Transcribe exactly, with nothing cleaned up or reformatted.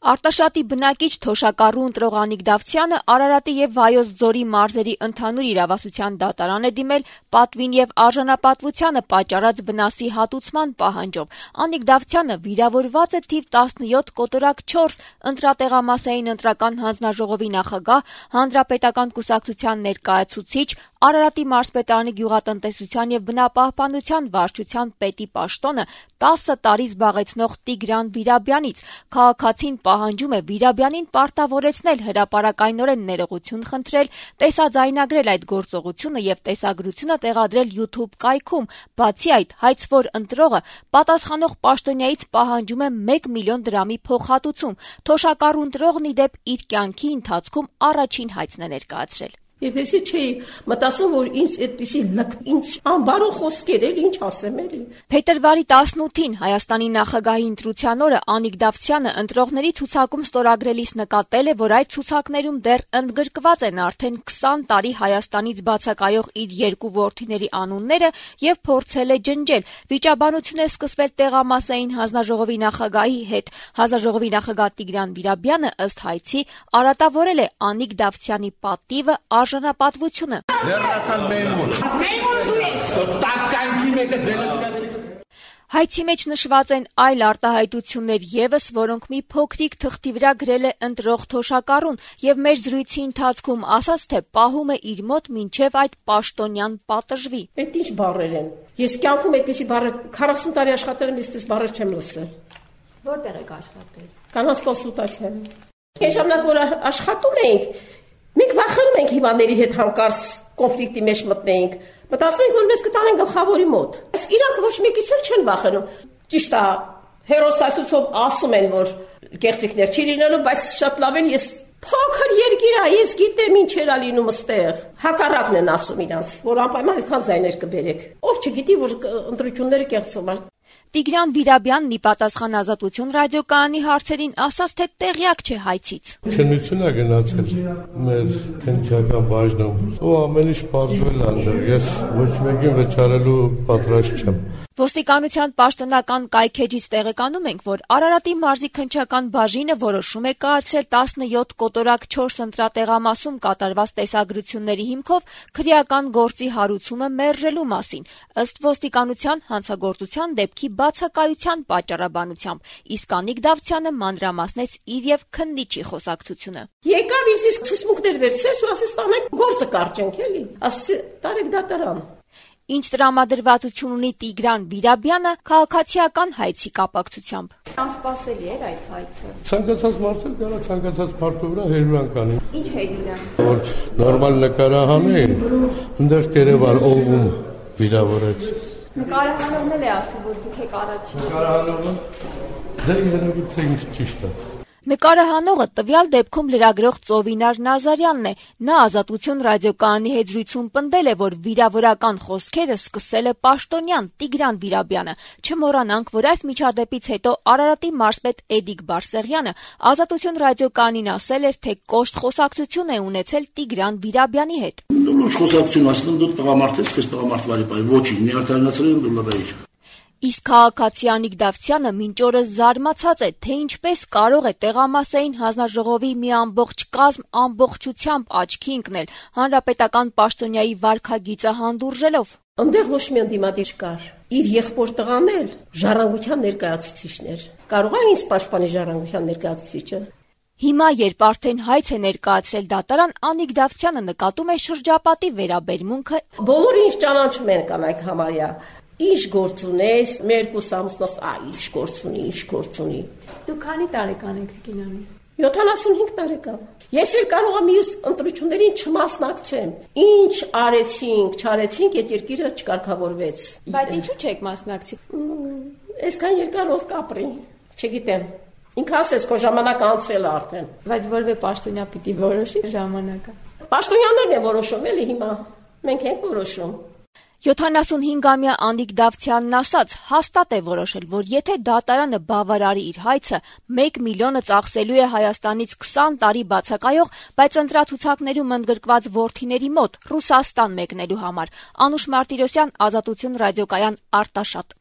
Արտաշատի բնակիչ թոշակառու ընտրող Անիկ Դավթյանը Արարատի եւ Վայոց ձորի մարզերի ընդհանուր իրավասության դատարան է դիմել պատվին եւ արժանապատվությանը պատճառած վնասի հատուցման պահանջով։ Անիկ Դավթյանը վիրավորված է թիվ տասնյոթ կոտորակ չորս ընտրատեղամասային ընտրական հանձնաժողովի նախագահ, հանրապետական կուսակցության ներկայացուցիչ, Արարատի մարզպետարանի գյուղատնտեսության եւ բնապահպանության վարչության պետի պաշտոնը տասը տարի զբաղեցնող Տիգրան Վիրաբյանից։ Քաղաքացին պահանջում է Վիրաբյանին պարտավորեցնել հրապարակայնորեն ներողություն խնդրել, տեսաձայնագրել այդ գործողությունը եւ տեսագրությունը տեղադրել YouTube կայքում։ Բացի այդ, հայցվոր ընտրողը պատասխանող պաշտոնյայից պահանջում է մեկ միլիոն դրամի փոխհատուցում։ Թոշակառու ընտրողն ի դեպ իր կյանքի ընթացքում առաջին հայցն է ներկայացրել։ Եվ հեսի չէի մտածում, որ ինձ այդպիսի լք, ինչ անբարո խոսքեր էլ, ինչ ասեմ էլի։ Փետրվարի տասնութին Հայաստանի նախագահի ընտրության օրը Անիկ Դավթյանը ընտրողների ցուցակում ստորագրելիս նկատել է, որ այդ ցուցակներում դեռ ընդգրկված են արդեն քսան տարի Հայաստանից բացակայող իր երկու որդիների անունները եւ փորձել է ջնջել։ Վիճաբանություն է սկսվել տեղամասային հանձնաժողովի նախագահի հետ։ Հանձնաժողովի նախագահ Տիգրան Վիրաբյանը ըստ հայցի արատավորել է Անիկ Դավթյանի պատիվը, արժանապատվությունը։ Հայցի մեջ նշված են այլ արտահայտություններ եւս, որոնք մի փոքրիկ թղթի վրա գրել է ընտրող թոշակառուն եւ մեր զրույցի ընթացքում ասաց, թե պահում է իր մոտ մինչեւ այդ պաշտոնյան պատժվի։ Այդ ինչ բառեր են։ Ես կյանքում այդպիսի բառեր քառասուն տարի աշխատել եմ, ես բառեր չեմ լսել։ Որտեղ եք աշխատել։ Կանանց կոնսուլտացիա։ Ինչ ժամանակ որ աշխատում էինք, մենք վախենում ենք հիվանդների հետ հանկարծ կոնֆլիկտի մեջ մտնենք։ Մտածում ենք, որ մեզ կտանեն գլխավորի մոտ։ Այս իրանք ոչ մեկից էլ չեն վախենում։ Ճիշտ է, հերոսացույցով ասում են, որ կեղծիքներ չի լինելու, բայց շատ լավ են, ես փոքր երկիր է, ես գիտեմ ինչ էր լինում այստեղ։ Հակառակն են ասում իրանց, որ անպայման այդքան ձայներ կբերեք։ Ով չգիտի, որ ընտրությունները կեղծում են։ Տիգրան Վիրաբյանն ի պատասխան Ազատություն ռադիոկայանի հարցերին ասաց, թե տեղյակ չէ հայցից։ Քննություն է գնացել մեր քննչական բաժնում, ու ամեն ինչ բարձվել անդր, ես ոչ մեկին վճարելու պատրաստ չեմ։ Ոստիկանության պաշտոնական կայքեջից տեղեկանում ենք, որ Արարատի մարզի քննչական բաժինը որոշում է կայացրել տասնյոթ կոտորակ չորս ընտրատեղամասում կատարված տեսագրությունների հիմքով քրեական գործի հարուցումը մերժելու մասին, ըստ ոստիկանության հանցագործության դեպքի բացակայության պատճառաբանությամբ, իսկ Անիկ Դավթյանը մանրամասնեց իր եւ քննիչի խոսակցությունը։ Եկավ իսկ ցուցմունքներ վերցրեց ու ասեց տանեք գործը կարճենք էլի, ասեցի տարեք դատարան։ Ինչ տրամադրվածություն ունի Տիգրան Վիրաբյանը քաղաքացիական հայցի կապակցությամբ։ Անսպասելի էր այդ հայցը։ Ցանկացած մարդը կարա ցանկացած մարդու վրա հերվանք անի։ Ինչ հերվան։ Որ նորմալ նկարահանեն, այնտեղ կերևար ողում վիրավորեց։ Նկարահանողն էլ է ասում, որ դուք եք առաջին։ Նկարահանողը դե երևի թե ինչ ճիշտ է։ Նկարահանողը տվյալ դեպքում լրագրող Ծովինար Նազարյանն է։ Նա Ազատություն ռադիոկայանի հետ զրույցում պնդել է, որ վիրավորական խոսքերը սկսել է պաշտոնյան Տիգրան Վիրաբյանը։ Չմոռանանք, որ այս միջադեպից հետո Արարատի մարզպետ Էդիկ Բարսեղյանը Ազատություն ռադիոկայանին ասել էր, թե կոշտ խոսակցություն է ունեցել Տիգրան Վիրաբյանի հետ։ Դու խոսակցություն ասում դու տղամարդ ես, քեզ տղամարդ վարի, ոչինչ, մի արտահայտացրել եմ դու լրայիր։ Իսկ քաղաքացի Անիկ Դավթյանը մինչ օրս զարմացած է, թե ինչպես կարող է տեղամասային հանձնաժողովի մի ամբողջ կազմ ամբողջությամբ աչքի ընկնել հանրապետական պաշտոնյայի վարքագիծը հանդուրժելով։ Այնտեղ ոչ մի ընդդիմադիր կար։ Իր եղբոր տղան էլ ժառանգության ներկայացուցիչն էր։ Կարող է ինձ պաշտպանի ժառանգության ներկայացուցիչը։ Հիմա, երբ արդեն հայց է ներկայացրել դատարան, Անիկ Դավթյանը նկատում է շրջապատի վերաբերմունքը։ Բոլորը ինձ ճանաչում են կանայք համարյա։ Ինչ գործ ունես, մեր երկու ամուսնուս, այ ինչ գործ ունի, ինչ գործ ունի։ Դու քանի տարեկան եք Տիկինանի։ յոթանասունհինգ տարեկան։ Ես էլ կարող եմ մյուս ընտրություններին չմասնակցեմ։ Ինչ արեցինք, չարեցինք, այդ երկիրը չկարգավորվեց։ Բայց ինչու չեք մասնակցի։ Այսքան երկար ով կապրի, չգիտեմ։ Ինքը ասես, քո ժամանակ անցել է արդեն։ Բայց որևէ պաշտոնյա պիտի որոշի ժամանակը։ Պաշտոնյաներն են որոշում, էլի հիմա։ Մենք ենք որոշում։ յոթանասունհինգամյա Անիկ Դավթյանն ասաց, հաստատ է որոշել, որ եթե դատարանը բավարարի իր հայցը, մեկ միլիոնը ծախսելու է Հայաստանից քսան տարի բացակայող, բայց ընտրացուցակներում ընդգրկված որդիների մոտ Ռուսաստան մեկնելու համար։ Անուշ Մարտիրոսյան, Ազատություն ռադիոկայան, Արտաշատ։